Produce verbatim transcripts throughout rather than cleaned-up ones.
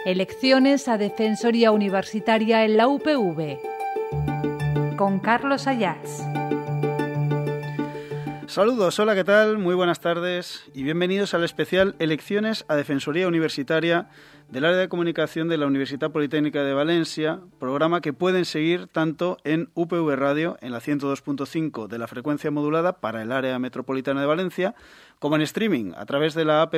Elecciones a Defensoría Universitaria en la U P V. Con Carlos Ayats. Saludos, hola, ¿qué tal? Muy buenas tardes y bienvenidos al especial Elecciones a Defensoría Universitaria del área de comunicación de la Universitat Politécnica de Valencia, programa que pueden seguir tanto en U P V Radio, en la ciento dos punto cinco de la frecuencia modulada para el área metropolitana de Valencia, como en streaming a través de la app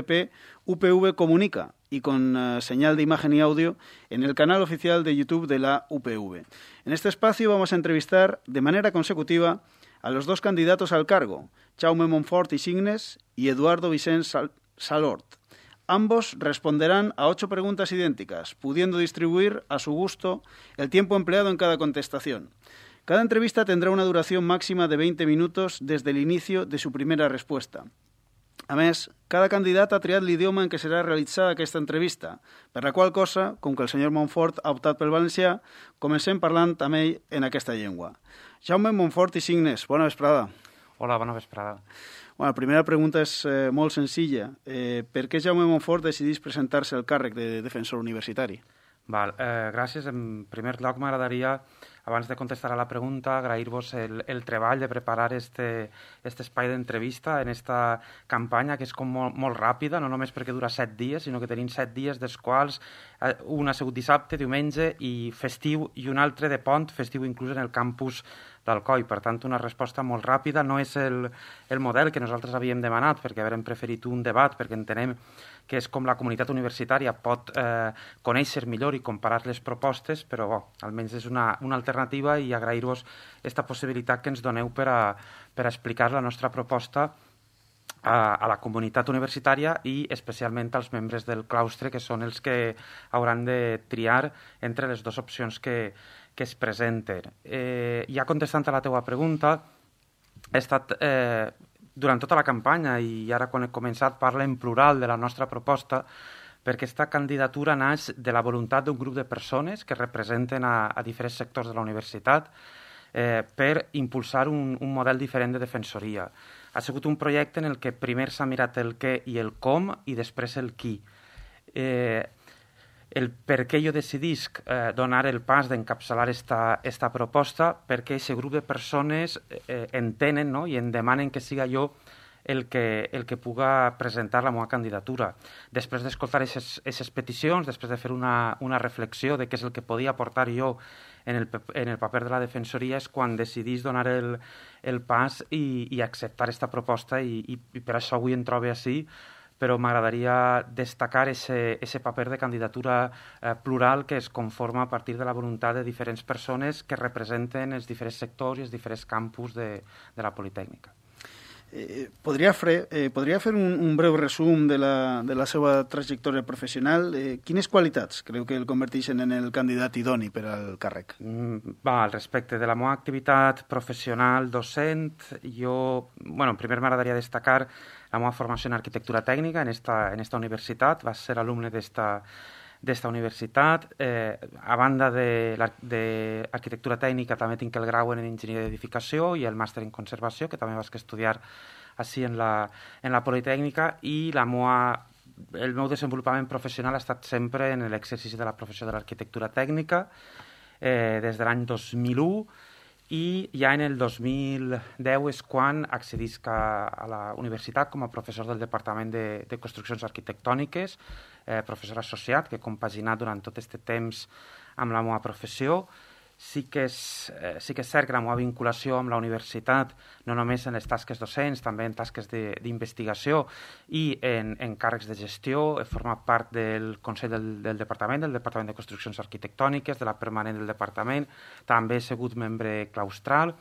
U P V Comunica y con uh, señal de imagen y audio en el canal oficial de YouTube de la U P V. En este espacio vamos a entrevistar de manera consecutiva a los dos candidatos al cargo, Jaume Monfort i Signes y Eduardo Vicent Sal- Salort. Ambos responderán a ocho preguntas idénticas, pudiendo distribuir a su gusto el tiempo empleado en cada contestación. Cada entrevista tendrá una duración máxima de veinte minutos desde el inicio de su primera respuesta. A més, cada candidat ha triat l'idioma en què serà realitzada aquesta entrevista, per la qual cosa, com que el senyor Monfort ha optat pel valencià, comencem parlant amb ell en aquesta llengua. Jaume Monfort i Signes, bona vesprada. Hola, bona vesprada. Bueno, la primera pregunta és eh, molt senzilla. Eh, per què Jaume Monfort decidís presentar-se al càrrec de defensor universitari? Val, eh, gràcies. En primer lloc, m'agradaria, abans de contestar a la pregunta, agrair-vos el, el treball de preparar este, este espai d'entrevista en esta campanya, que és com molt, molt ràpida, no només perquè dura set dies, sinó que tenim set dies, dels quals eh, un ha sigut dissabte, diumenge i festiu, i un altre de pont, festiu inclús en el campus d'Alcoi. Per tant, una resposta molt ràpida. No és el, el model que nosaltres havíem demanat, perquè havíem preferit un debat, perquè entenem que és com la comunitat universitària pot eh, conèixer millor i comparar les propostes, però bo, almenys és una, una alternativa i agrair-vos aquesta possibilitat que ens doneu per a, per a explicar la nostra proposta a, a la comunitat universitària i especialment als membres del claustre, que són els que hauran de triar entre les dues opcions que, que es presenten. Eh, ja contestant a la teua pregunta, he estat... Eh, durant tota la campanya, i ara quan he començat parla en plural de la nostra proposta, perquè aquesta candidatura naix de la voluntat d'un grup de persones que representen a, a diferents sectors de la universitat eh, per impulsar un, un model diferent de defensoria. Ha sigut un projecte en el que primer s'ha mirat el què i el com i després el qui. Eh, el per què jo decidisc eh, donar el pas d'encapçalar esta, esta proposta, perquè aquest grup de persones eh, entenen, no?, i em demanen que siga jo el que, el que puga presentar la meva candidatura. Després d'escoltar aquestes peticions, després de fer una, una reflexió de què és el que podia aportar jo en el, en el paper de la defensoria, és quan decidís donar el, el pas i, i acceptar aquesta proposta, i, i, i per això avui em trobo així, però m'agradaria destacar aquest paper de candidatura eh, plural que es conforma a partir de la voluntat de diferents persones que representen els diferents sectors i els diferents campus de, de la Politécnica. Eh, podria, fer, eh, podria fer un, un breu resum de la, de la seva trajectòria professional? Eh, quines qualitats creu que el converteixen en el candidat idoni per al càrrec? Mm, va, al respecte de la meva activitat professional docent, jo, bueno, primer m'agradaria destacar la meva formació en arquitectura tècnica en esta, en esta universitat. Va ser alumne d'esta d'esta universitat. Eh, a banda de l'arquitectura tècnica també tinc el grau en enginyeria d'edificació i el màster en conservació, que també vaig estudiar així en la, en la Politécnica, i la meua, el meu desenvolupament professional ha estat sempre en l'exercici de la professió de l'arquitectura tècnica eh, des de l'any dos mil u, i ja en el dos mil deu és quan accedisc a, a la universitat com a professor del Departament de, de Construccions Arquitectòniques, eh, professor associat, que he compaginat durant tot aquest temps amb la meva professió. Sí que, és, eh, sí que és cert que la meva vinculació amb la universitat, no només en les tasques docents, també en tasques d'investigació i en, en càrrecs de gestió. He format part del Consell del, del Departament, del Departament de Construccions Arquitectòniques, de la permanent del Departament. També he sigut membre claustral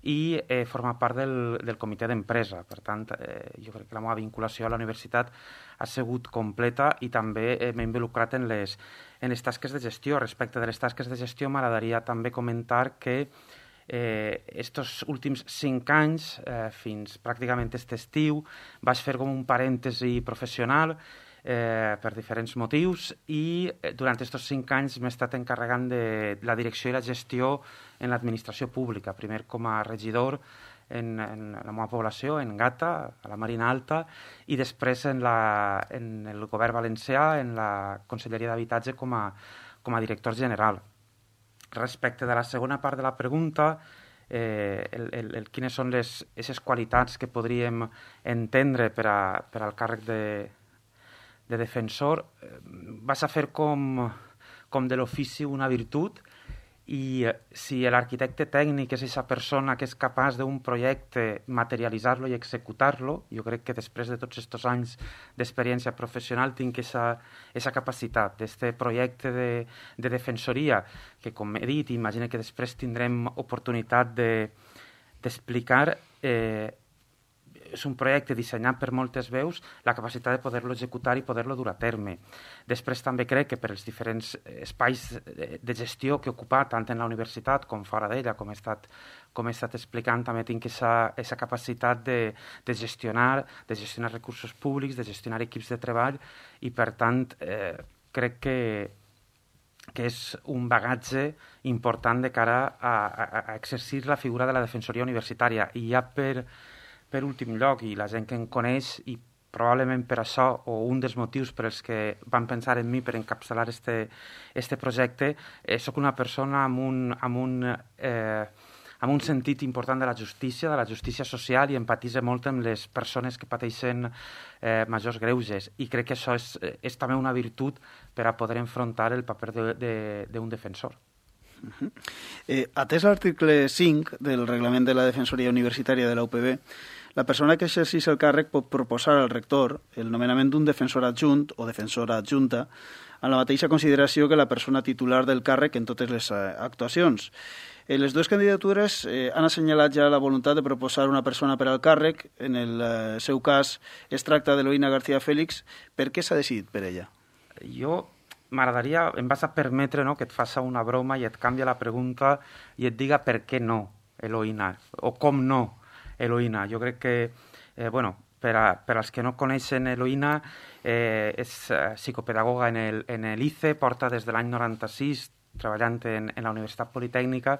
i he format part del, del comitè d'empresa. Per tant, eh, jo crec que la meva vinculació a la universitat ha sigut completa i també eh, m'he involucrat en les, en les tasques de gestió. Respecte de les tasques de gestió, m'agradaria també comentar que eh, estos últims cinc anys, eh, fins pràcticament aquest estiu, vaig fer com un parèntesi professional eh, per diferents motius, i eh, durant aquests cinc anys m'he estat encarregant de la direcció i la gestió en l'administració pública, primer com a regidor en, en la meva població, en Gata, a la Marina Alta, i després en, la, en el govern valencià, en la Conselleria d'Habitatge com a, com a director general. Respecte de la segona part de la pregunta, eh, el, el, el, quines són les aquestes qualitats que podríem entendre per, a, per al càrrec de, de defensor, eh, vas a fer com... com de l'ofici una virtut, i si l'arquitecte tècnic és aquesta persona que és capaç d'un projecte materialitzar-lo i executar-lo, jo crec que després de tots aquests anys d'experiència professional tinc aquesta capacitat d'aquest projecte de, de defensoria, que com he dit, imagino que després tindrem oportunitat d'explicar, de, eh, és un projecte dissenyat per moltes veus, la capacitat de poder-lo executar i poder-lo dur a terme. Després també crec que per els diferents espais de gestió que he ocupat, tant en la universitat com fora d'ella, com he estat, com he estat explicant, també tinc aquesta capacitat de, de, gestionar, de gestionar recursos públics, de gestionar equips de treball, i per tant eh, crec que, que és un bagatge important de cara a, a, a exercir la figura de la defensoria universitària. I ja per... Per últim lloc, i la gent que em coneix, i probablement per això, o un dels motius per els que van pensar en mi per encapçalar este, este projecte, eh, soc una persona amb un, amb, un, eh, amb un sentit important de la justícia, de la justícia social, i empatitza molt amb les persones que pateixen eh, majors greuges. I crec que això és, és també una virtut per a poder enfrontar el paper d'un de, de, defensor. Uh-huh. eh, atès l'article cinc del Reglament de la Defensoria Universitària de la U P B, la persona que exerceix el càrrec pot proposar al rector el nomenament d'un defensor adjunt o defensora adjunta amb la mateixa consideració que la persona titular del càrrec en totes les actuacions. Eh, les dues candidatures eh, han assenyalat ja la voluntat de proposar una persona per al càrrec. En el eh, seu cas es tracta d'Eloïna García Félix. Per què s'ha decidit per ella? Jo m'agradaria, em vas a permetre, no, que et faça una broma i et canvia la pregunta i et diga per què no, Eloïna, o com no, Eloïna. Jo crec que, eh, bueno, per, a, per als que no coneixen Eloïna, eh, és eh, psicopedagoga en el, en el I C E, porta des de l'any noranta-sis treballant en, en la Universitat Politècnica,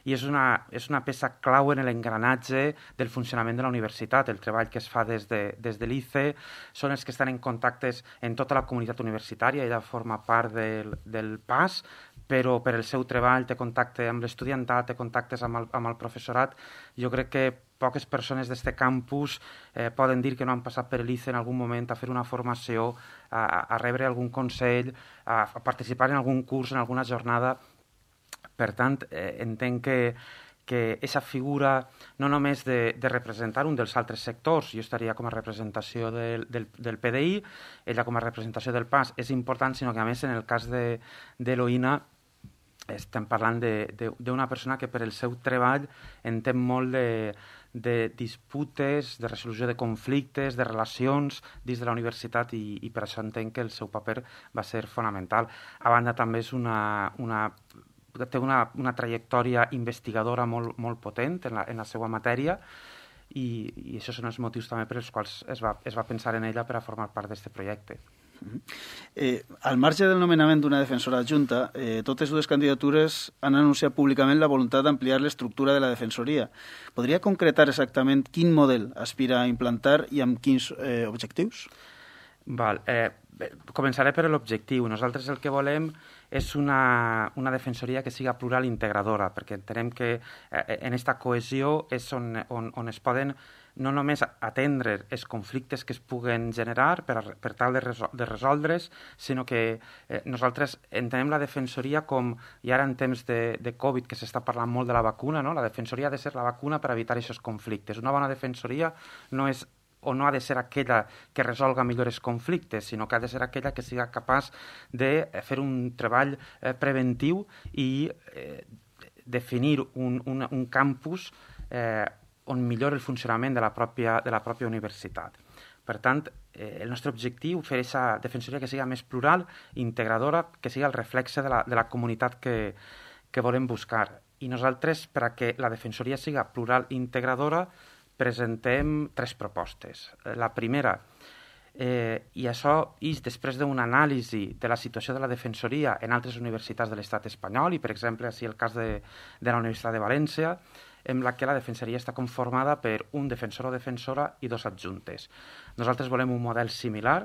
i és una, és una peça clau en l'engranatge del funcionament de la universitat. El treball que es fa des de, des de l'I C E són els que estan en contactes en tota la comunitat universitària. Ella forma part del, del P A S, però per el seu treball té contacte amb l'estudiantat, té contactes amb el, amb el professorat. Jo crec que poques persones d'este campus eh, poden dir que no han passat per l'I C E en algun moment a fer una formació, a, a rebre algun consell, a, a participar en algun curs, en alguna jornada. Per tant, eh, entenc que que aquesta figura no només de, de representar un dels altres sectors, jo estaria com a representació del, del, del P D I, ella com a representació del P A S és important, sinó que a més en el cas d'Eloïna estem parlant d'una persona que per el seu treball entén molt de, de disputes, de resolució de conflictes, de relacions dins de la universitat, i, i per això entenc que el seu paper va ser fonamental. A banda també és una... una té una, una trajectòria investigadora molt, molt potent en la, en la seva matèria, i, i això són els motius també per als quals es va, es va pensar en ella per a formar part d'aquest projecte. Uh-huh. eh, al marge del nomenament d'una defensora adjunta, eh, totes dues candidatures han anunciat públicament la voluntat d'ampliar l'estructura de la defensoria. Podria concretar exactament quin model aspira a implantar i amb quins eh, objectius? Val, eh, començaré per l'objectiu. Nosaltres el que volem és una, una defensoria que siga plural i integradora, perquè entenem que eh, en aquesta cohesió és on, on, on es poden no només atendre els conflictes que es puguen generar per, a, per tal de, resol, de resoldre's, sinó que eh, nosaltres entenem la defensoria com, i ara en temps de, de Covid, que s'està parlant molt de la vacuna, no? La defensoria ha de ser la vacuna per evitar aquests conflictes. Una bona defensoria no és o no ha de ser aquella que resolga millor els conflictes, sinó que ha de ser aquella que siga capaç de fer un treball eh, preventiu i eh, definir un, un, un campus eh, on millora el funcionament de la pròpia, de la pròpia universitat. Per tant, eh, el nostre objectiu és fer aquesta defensoria que siga més plural, integradora, que siga el reflexe de la, de la comunitat que, que volem buscar. I nosaltres, per a que la defensoria siga plural i integradora, presentem tres propostes. La primera, eh, i això és després d'una anàlisi de la situació de la defensoria en altres universitats de l'estat espanyol, i per exemple, així el cas de, de la Universitat de València, en la que la defensoria està conformada per un defensor o defensora i dos adjuntes. Nosaltres volem un model similar,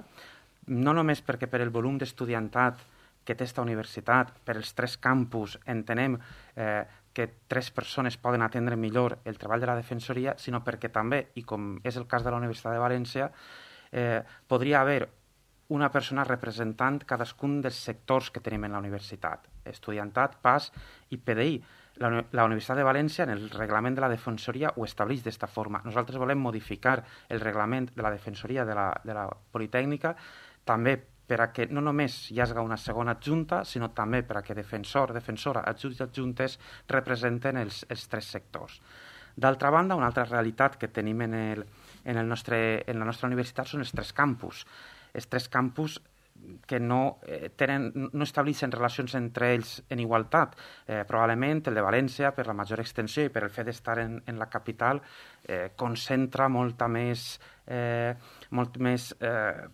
no només perquè per el volum d'estudiantat que té esta universitat, per els tres campus entenem eh, que tres persones poden atendre millor el treball de la defensoria, sinó perquè també, i com és el cas de la Universitat de València, eh, podria haver una persona representant cadascun dels sectors que tenim en la universitat, estudiantat, P A S i P D I. La, la Universitat de València, en el reglament de la defensoria, ho estableix d'esta forma. Nosaltres volem modificar el reglament de la defensoria de la, de la Politècnica, també per a que no només hi hagi una segona adjunta, sinó també per a que defensor, defensora, adjunts i adjuntes representen els, els tres sectors. D'altra banda, una altra realitat que tenim en, el, en, el nostre, en la nostra universitat són els tres campus. Els tres campus que no, eh, tenen, no estableixen relacions entre ells en igualtat. Eh, probablement el de València, per la major extensió i per el fet d'estar en, en la capital, eh, concentra molta més, eh, molt més eh,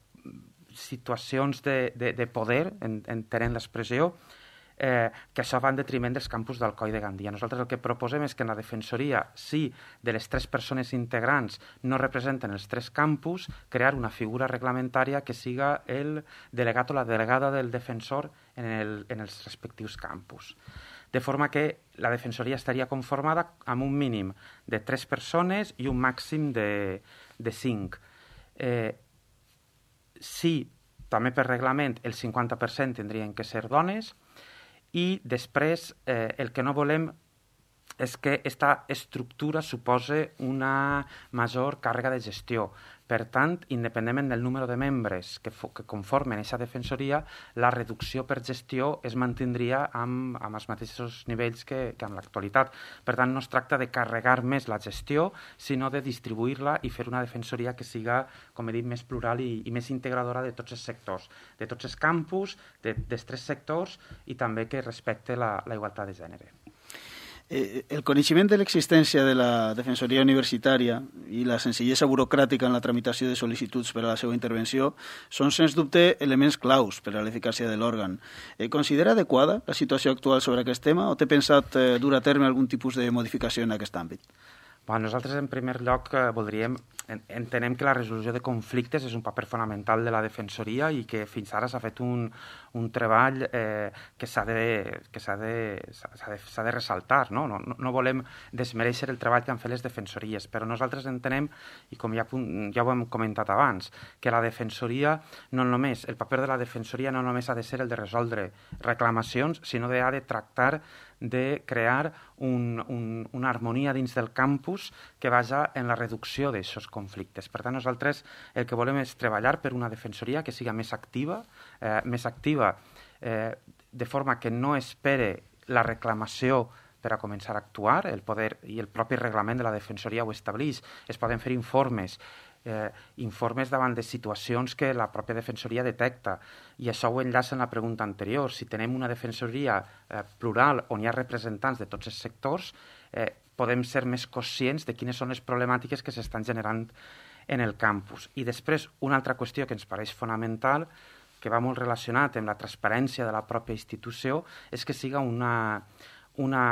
situacions de, de, de poder, en, entenent l'expressió, eh, que això va en detriment dels campus d'Alcoi de Gandia. Nosaltres el que proposem és que en la defensoria, si de les tres persones integrants no representen els tres campus, crear una figura reglamentària que siga el delegat o la delegada del defensor en, el, en els respectius campus. De forma que la defensoria estaria conformada amb un mínim de tres persones i un màxim de, de cinc. Eh, Sí, també per reglament el cinquanta per cent tindrien que ser dones i després eh, el que no volem és que aquesta estructura supose una major càrrega de gestió. Per tant, independentment del número de membres que, que conformen aquesta defensoria, la reducció per gestió es mantindria amb, amb els mateixos nivells que, que en l'actualitat. Per tant, no es tracta de carregar més la gestió, sinó de distribuir-la i fer una defensoria que siga, com he dit, més plural i, i més integradora de tots els sectors, de tots els campus, de, dels tres sectors i també que respecte la, la igualtat de gènere. Eh, el coneixement de l'existència de la Defensoria Universitària i la senzillesa burocràtica en la tramitació de sol·licituds per a la seva intervenció són, sens dubte, elements claus per a l'eficàcia de l'òrgan. Eh, considera adequada la situació actual sobre aquest tema o té pensat eh, dur a terme algun tipus de modificació en aquest àmbit? Bueno, nosaltres, en primer lloc, eh, voldríem, entenem que la resolució de conflictes és un paper fonamental de la defensoria i que fins ara s'ha fet un, un treball eh, que s'ha de, que s'ha de, s'ha de, s'ha de ressaltar. No? No, no volem desmereixer el treball que han fet les defensories, però nosaltres entenem, i com ja, ja ho hem comentat abans, que la defensoria no només, el paper de la defensoria no només ha de ser el de resoldre reclamacions, sinó de ha de tractar de crear un, un, una harmonia dins del campus que vaja en la reducció d'aquests conflictes. Per tant, nosaltres el que volem és treballar per una defensoria que siga més activa, eh, més activa eh, de forma que no espere la reclamació per a començar a actuar. El poder i el propi reglament de la defensoria ho estableix. Es poden fer informes, eh, informes davant de situacions que la pròpia defensoria detecta. I això ho enllaça en la pregunta anterior. Si tenem una defensoria eh, plural on hi ha representants de tots els sectors, eh, podem ser més conscients de quines són les problemàtiques que s'estan generant en el campus. I després, una altra qüestió que ens pareix fonamental, que va molt relacionat amb la transparència de la pròpia institució, és que siga una, una,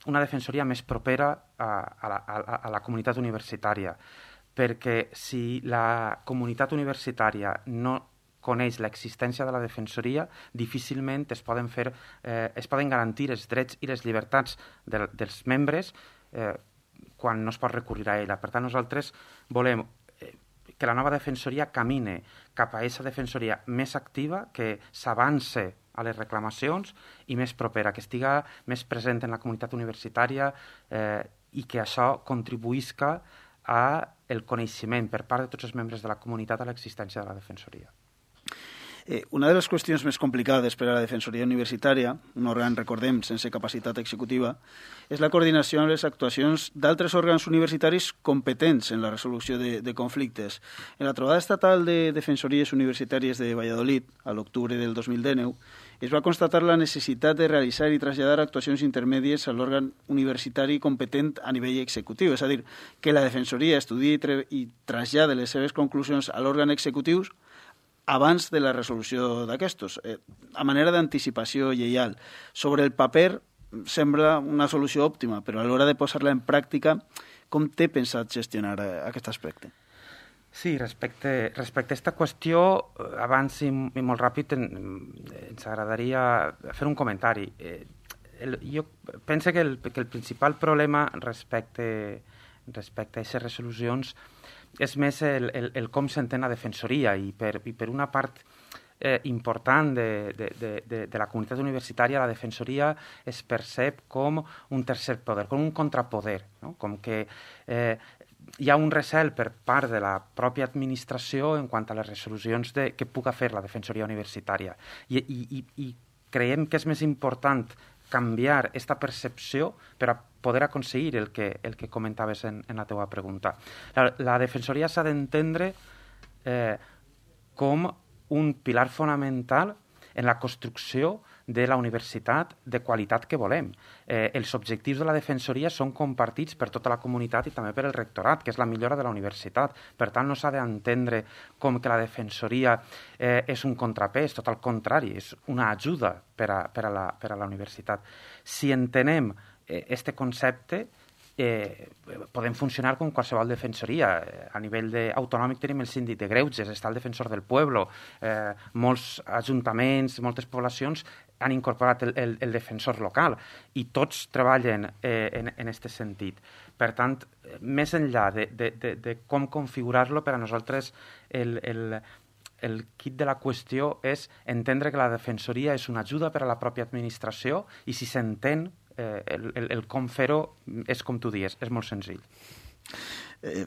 una defensoria més propera a, a, la, a, a la comunitat universitària. Perquè si la comunitat universitària no coneix l'existència de la defensoria, difícilment es poden, fer, eh, es poden garantir els drets i les llibertats de, dels membres eh, quan no es pot recurrir a ella. Per tant, nosaltres volem eh, que la nova defensoria camine cap a aquesta defensoria més activa, que s'avance a les reclamacions i més propera, que estiga més present en la comunitat universitària eh, i que això contribuïsca a el coneixement per part de tots els membres de la comunitat a l'existència de la defensoria. Eh, una de les qüestions més complicades per a la Defensoria Universitària, un òrgan, recordem, sense capacitat executiva, és la coordinació amb les actuacions d'altres òrgans universitaris competents en la resolució de, de conflictes. En la trobada estatal de Defensories Universitàries de Valladolid, a l'octubre del dos mil dinou, es va constatar la necessitat de realitzar i traslladar actuacions intermèdies a l'òrgan universitari competent a nivell executiu, és a dir, que la Defensoria estudia i trasllada les seves conclusions a l'òrgan executiu abans de la resolució d'aquestos, eh, a manera d'anticipació lleial. Sobre el paper sembla una solució òptima, però a l'hora de posar-la en pràctica, com té pensat gestionar aquest aspecte? Sí, respecte, respecte a aquesta qüestió, abans i, i molt ràpid en, ens agradaria fer un comentari. Eh, el, jo penso que el, que el principal problema respecte, respecte a aquestes resolucions és més el, el, el com s'entén la defensoria i per, i per una part eh, important de, de, de, de, de la comunitat universitària la defensoria es percep com un tercer poder, com un contrapoder, no? Com que eh, hi ha un recel per part de la pròpia administració en quant a les resolucions de, que puga fer la defensoria universitària. I, i, i creiem que és més important canviar aquesta percepció per a poder aconseguir el que, el que comentaves en, en la teva pregunta. La, la defensoria s'ha d'entendre eh, com un pilar fonamental en la construcció de la universitat de qualitat que volem. Eh, els objectius de la defensoria són compartits per tota la comunitat i també per el rectorat, que és la millora de la universitat. Per tant, no s'ha d'entendre com que la defensoria eh, és un contrapès, tot al contrari, és una ajuda per a, per a, la, per a la universitat. Si entenem aquest eh, concepte, Eh, podem funcionar com qualsevol defensoria. A nivell de, autonòmic tenim el síndic de greuges, està el defensor del pueblo, eh, molts ajuntaments, moltes poblacions han incorporat el, el, el defensor local i tots treballen eh, en aquest sentit. Per tant, més enllà de, de, de, de com configurar-lo, per a nosaltres el, el, el kit de la qüestió és entendre que la defensoria és una ajuda per a la pròpia administració i si s'entén Eh, el, el, el com fer-ho és com tu dius, és molt senzill. Eh,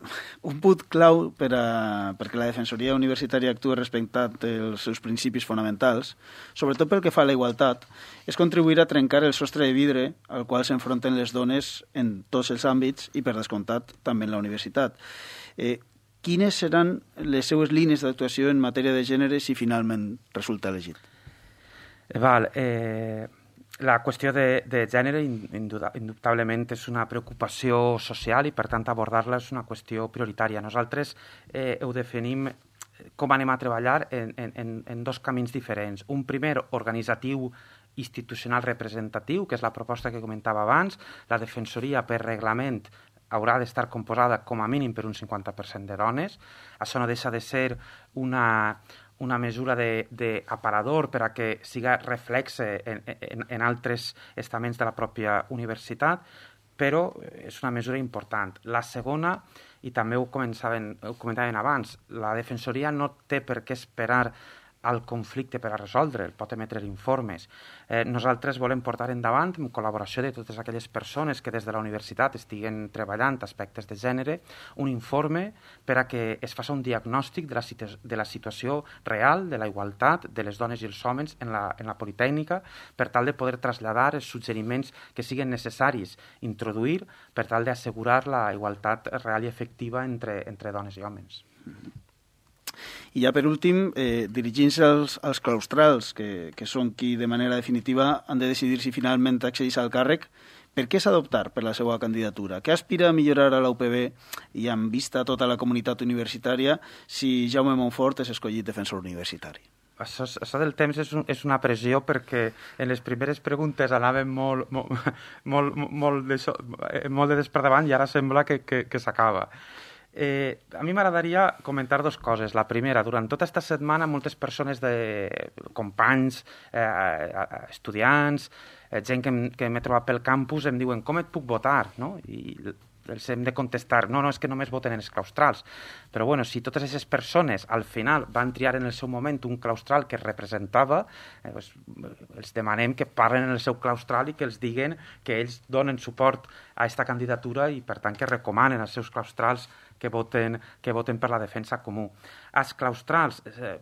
un punt clau per a, perquè la defensoria universitària actua respectant els seus principis fonamentals, sobretot pel que fa a la igualtat, és contribuir a trencar el sostre de vidre al qual s'enfronten les dones en tots els àmbits i, per descomptat, també en la universitat. Eh, quines seran les seues línies d'actuació en matèria de gènere si finalment resulta elegit? Val, eh... La qüestió de, de gènere indubtablement és una preocupació social i, per tant, abordar-la és una qüestió prioritària. Nosaltres eh, ho definim com anem a treballar en, en, en dos camins diferents. Un primer, organitzatiu, institucional representatiu, que és la proposta que comentava abans. La defensoria, per reglament, haurà d'estar composada com a mínim per un cinquanta per cent de dones. Això no deixa de ser una... una mesura d'aparador per a que siga reflexe en, en, en altres estaments de la pròpia universitat, però és una mesura important. La segona, i també ho, ho comentaven abans, la defensoria no té per què esperar al conflicte per a resoldre'l, pot emetre informes. Eh, nosaltres volem portar endavant, en col·laboració de totes aquelles persones que des de la universitat estiguen treballant aspectes de gènere, un informe per a que es faci un diagnòstic de la, situ de la situació real, de la igualtat de les dones i els homes en la, en la Politècnica, per tal de poder traslladar els suggeriments que siguin necessaris introduir per tal d'assegurar la igualtat real i efectiva entre, entre dones i homes. I ja per últim, eh, dirigint-se als, als claustrals, que, que són qui de manera definitiva han de decidir si finalment accedeix al càrrec, per què s'ha d'optar per la seva candidatura? Què aspira a millorar a la U P B i amb vista a tota la comunitat universitària si Jaume Monfort és escollit defensor universitari? Això, això del temps és, un, és una pressió perquè en les primeres preguntes anàvem molt, molt, molt, molt, de, molt de desperdavant i ara sembla que, que, que s'acaba. Eh, a mi m'agradaria comentar dues coses. La primera, durant tota aquesta setmana moltes persones, de companys, eh, estudiants, eh, gent que, que m'he trobat pel campus em diuen com et puc votar, no? I els hem de contestar, no, no, és que només voten en els claustrals. Però bueno, si totes aquestes persones al final van triar en el seu moment un claustral que representava, eh, doncs, els demanem que parlen en el seu claustral i que els diguen que ells donen suport a aquesta candidatura i per tant que recomanen als seus claustrals que voten, que voten per la defensa comú. Els claustrals, eh,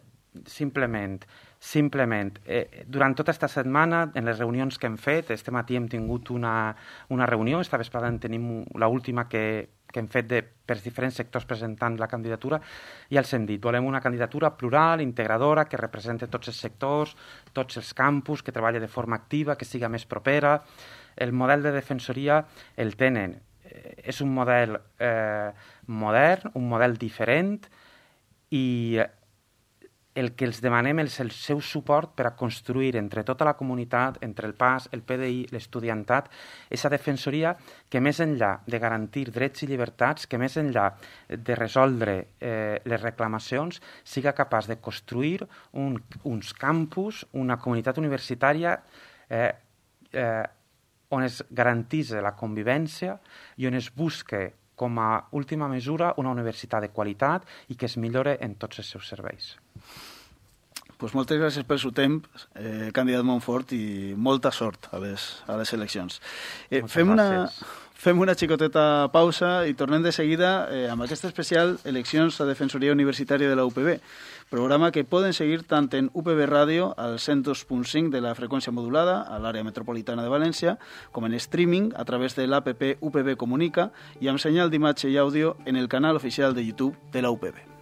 simplement, simplement eh, durant tota aquesta setmana, en les reunions que hem fet, este matí hem tingut una, una reunió, esta vesprada en tenim l'última que, que hem fet de, per diferents sectors presentant la candidatura, i els hem dit, volem una candidatura plural, integradora, que representi tots els sectors, tots els campus, que treballi de forma activa, que siga més propera. El model de defensoria el tenen. És un model eh, modern, un model diferent i el que els demanem és el seu suport per a construir entre tota la comunitat, entre el P A S, el P D I, l'estudiantat, aquesta defensoria que més enllà de garantir drets i llibertats, que més enllà de resoldre eh, les reclamacions, siga capaç de construir un, uns campus, una comunitat universitària eh, eh, on es garantís la convivència i on es busque com a última mesura una universitat de qualitat i que es millore en tots els seus serveis. Pues moltes gràcies pel seu temps, eh, candidat Montfort, i molta sort a les, a les eleccions. Eh, fem, una, fem una xicoteta pausa i tornem de seguida eh, amb aquest especial Eleccions a Defensoria Universitària de la U P B, programa que poden seguir tant en U P B Ràdio al cent dos punt cinc de la freqüència modulada a l'àrea metropolitana de València, com en streaming a través de l'app U P B Comunica i amb senyal d'imatge i àudio en el canal oficial de YouTube de la U P B.